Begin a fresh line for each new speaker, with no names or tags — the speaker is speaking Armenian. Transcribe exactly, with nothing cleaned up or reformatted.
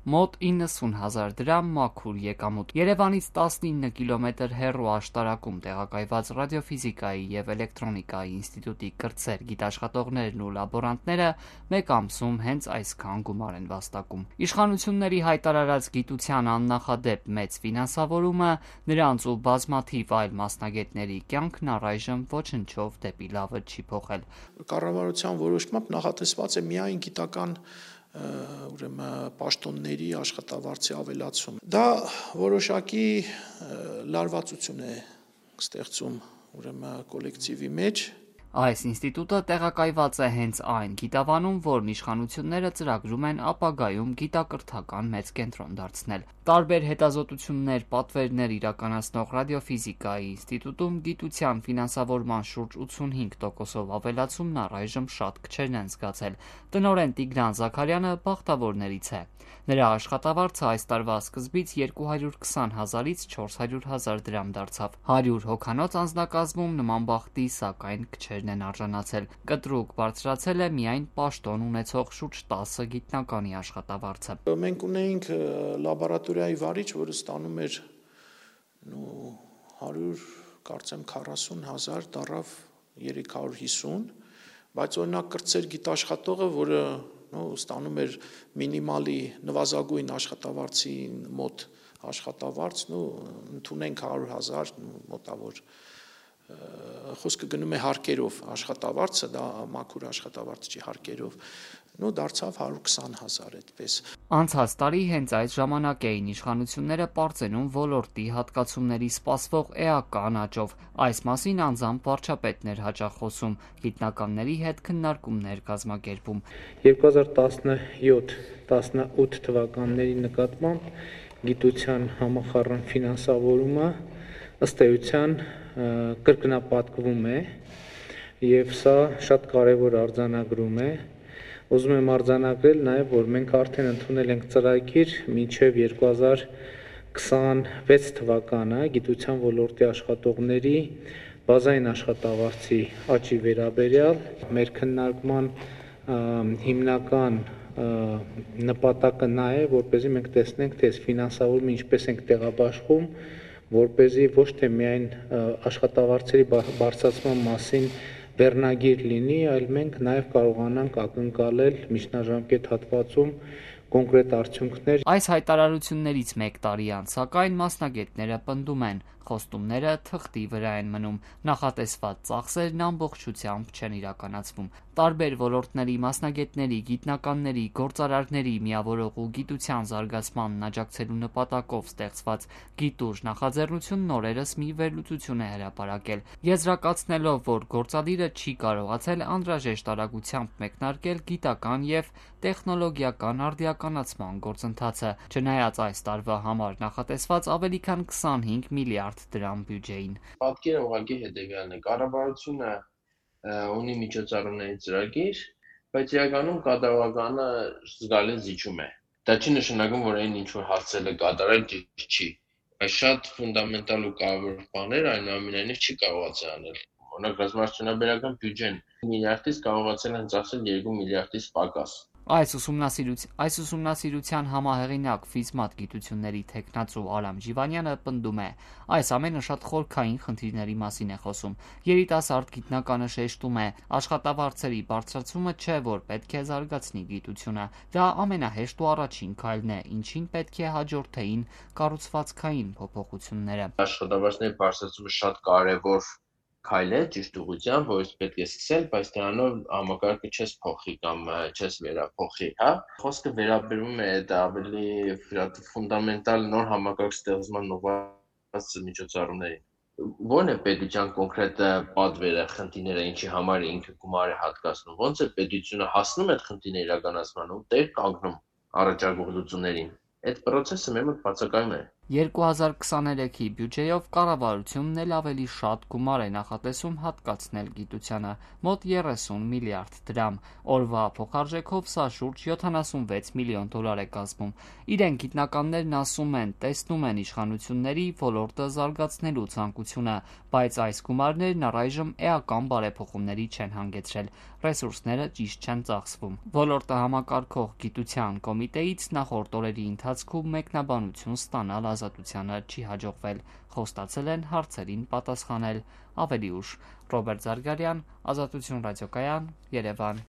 մոտ իննսուն հազար դրամ մաքուր եկամուտ։ Երևանից տասնինը կիլոմետր հեռու աշտարակում տեղակայված ռադիոֆիզիկայի եւ էլեկտրոնիկայի ինստիտուտի կրտսեր գիտաշխատողներն ու լաբորանտները մեկ ամսում հենց այսքան գումար են վաստակում։ Իշխանությունների հայտարարած գիտության աննախադեպ մեծ ֆինանսավորումը, նրանց ու բազմաթիվ այլ մասնագետների կյանքն առայժմ ոչնչով դեպի լավը չի փոխել։
Կառավարության որոշմամբ նախատեսված է միայն գիտական ուրեմն պաշտոնների աշխատավարձի ավելացում։ Դա որոշակի լարվածություն է ստեղծում ուրեմն կոլեկտիվի մեջ։
Այս ինստիտուտը տեղակայված է հենց այն գիտավանում, որն իշխանությունները ծրագրում են ապագայում գիտակրթական մեծ կենտրոն դարձնել։ Տարբեր հետազոտություններ, պատվերներ իրականացնող ռադիոֆիզիկայի ինստիտուտում գիտության ֆինանսավորման շուրջ ութսունհինգ տոկոսով ավելացումն առայժմ շատ քչերն են զգացել։ Տնօրեն Տիգրան Զաքարյանը բախտավորներից է։ Նրա աշխատավարձը այս տարվա սկզբից երկու հարյուր քսան հազարից չորս հարյուր հազար դրամ դարձավ։ հարյուր հոգանոց անձնակազմում նման բախտի սակայն քչերն են արժանացել։ Կտրուկ բարձրացել է միայն պաշտոն ունեցող շուրջ տասը գիտնականի աշխատավարձը։
Մենք ունեինք լաբորատորիայի վարիչ, որը ստանում էր հարյուր կարծեմ քառասուն հազար, դառավ երեք հարյուր հիսուն, բայց օրինակ կրտսեր գիտաշխատողը, որը ստանում էր մինիմալի նվազագույն աշխատավարձի մոտ աշխատավարձ, ընդունենք հարյուր հազար մոտավոր խոսքը գնում է հարկերով աշխատավարձը, դա մաքուր աշխատավարձ չի հարկերով, դարձավ հարյուր քսան հազար այդպես։
Անցած տարի հենց այս ժամանակ էին իշխանությունները պարծենում ոլորտի հատկացումների սպասվող էական աճով։ Այս մասին անձամբ վարչապետն էր հաճախ խոսում, գիտնականների հետ քննարկումներ կազմակերպում։
երկու հազար տասնյոթ տասնութ թվականների նկատմամբ գիտության համախառն ֆինանսավորումը ըստ էության կրկնապատկվում է եւ սա շատ կարեւոր արձանագրում է։ Ուզում եմ արձանագրել նաեւ, որ մենք արդեն ընդունել ենք ծրագիր մինչեւ երկու հազար քսանվեց թվականը գիտության ոլորտի աշխատողների բազային աշխատավարձի աճի վերաբերյալ։ Մեր քննարկման հիմնական նպատակը նա է, որպեսզի մենք տեսնենք, թե այս ֆինանսավորումը ինչպես ենք տեղաբաշխում, որպեսզի ոչ թե միայն աշխատավարձերի բարձրացման մասին վերնագիր լինի, այլ մենք նաև կարողանանք ակնկալել միջնաժամկետ հատվածում կոնկրետ արդյունքներ։
Այս հայտարարություններից մեկ տարի անց, սակայն մասնագետները պնդում են, խոստումները թղթի վրա են մնում, նախատեսված ծախսերն ամբողջությամբ չեն իրականացվում։ Տարբեր ոլորտների մասնագետների, գիտնականների, գործարարների միավորող ու գիտության զարգացմանն աջակցելու նպատակով ստեղծված գիտուժ նախաձեռնությունն օրերս մի վերլուծություն է հրապարակել, եզրակացնելով, որ գործադիրը չի կարողացել անհրաժեշտ արագությամբ մեկնարկել գիտական եւ տեխնոլոգիական արդիականացման գործընթացը, չնայած այս տարվա համար նախատեսված ավելի քան քսանհինգ միլիարդ դրամ բյուջեին։
Պատկերը ուղղակի հետևյալն է. կառավարությունը ունի միջոցառումների ծրագիր, բայց իրականում կատարողականը զգալի զիջում է։ Դա չի նշանակում, որ այն ինչ որ հասցել է կատարել ճիշտ չի։ Բայց շատ ֆունդամենտալ ու կարևոր բաներ այնուամենայնիվ չի կարողացել անել։ Օրինակ ռազմավարությունաբերական բյուջեն միլիարդից կարողացել են ծախսել երկու միլիարդից պակաս։
Այս ուսումնասիրության համահեղինակ ֆիզմատ գիտությունների թեկնածու Արամ Ջիվանյանը պնդում է, այս ամենը շատ խորքային խնդիրների մասին է խոսում։ Երիտասարդ գիտնականը շեշտում է, աշխատավարձերի բարձրացումը չէ, որ պետք է զարգացնի գիտությունը, դա ամենահեշտ ու առաջին քայլն է, ինչին պետք է հաջորդեին կառուցվածքային փոփոխությունները։
Աշխատավարձների բարձրացումը շատ կարևոր քայլ է ճիշտ ուղղությամբ, որից պետք է սկսել, բայց դրանով համակարգը չես փոխի կամ չես վերափոխի, հա։ Խոսքը վերաբերում է դա ավելի ֆունդամենտալ նոր համակարգ ստեղծման ուղղված միջոցառումներին։ Ո՞րն է պետության կոնկրետ պատվերը, խնդիրները, ինչի համար ինքը գումար է հատկացնում, ո՞նց է պետությունը հասնում այդ խնդիրների իրականացման ու տեղ կանգնում առաջարկող լուծումներին։ Այդ process-ը մեր մոտ բացակայում է։
երկու հազար քսաներեքի բյուջեով կառավարությունն էլ ավելի շատ գումար է նախատեսում հատկացնել գիտությանը՝ մոտ երեսուն միլիարդ դրամ։ Օրվա փոխարժեքով սա շուրջ յոթանասունվեց միլիոն դոլար է կազմում։ Իրենք գիտնականներն ասում են, տեսնում են իշխանությունների ոլորտը զարգացնելու ցանկությունը, բայց այս գումարներն առայժմ էական բարեփոխումների չեն հանգեցրել, ռեսուրսները ճիշտ չեն ծախսվում։ Ոլորտը համակարգող գիտության կոմիտեից նախորդ օրերի ընթացքում մեկնաբանություն ստանալ Ազատությանը չի հաջողվել, խոստացել են հարցերին պատասխանել ավելի ուշ։ Ռոբերտ Զարգարյան, Ազատություն ռադիոկայան, Երևան։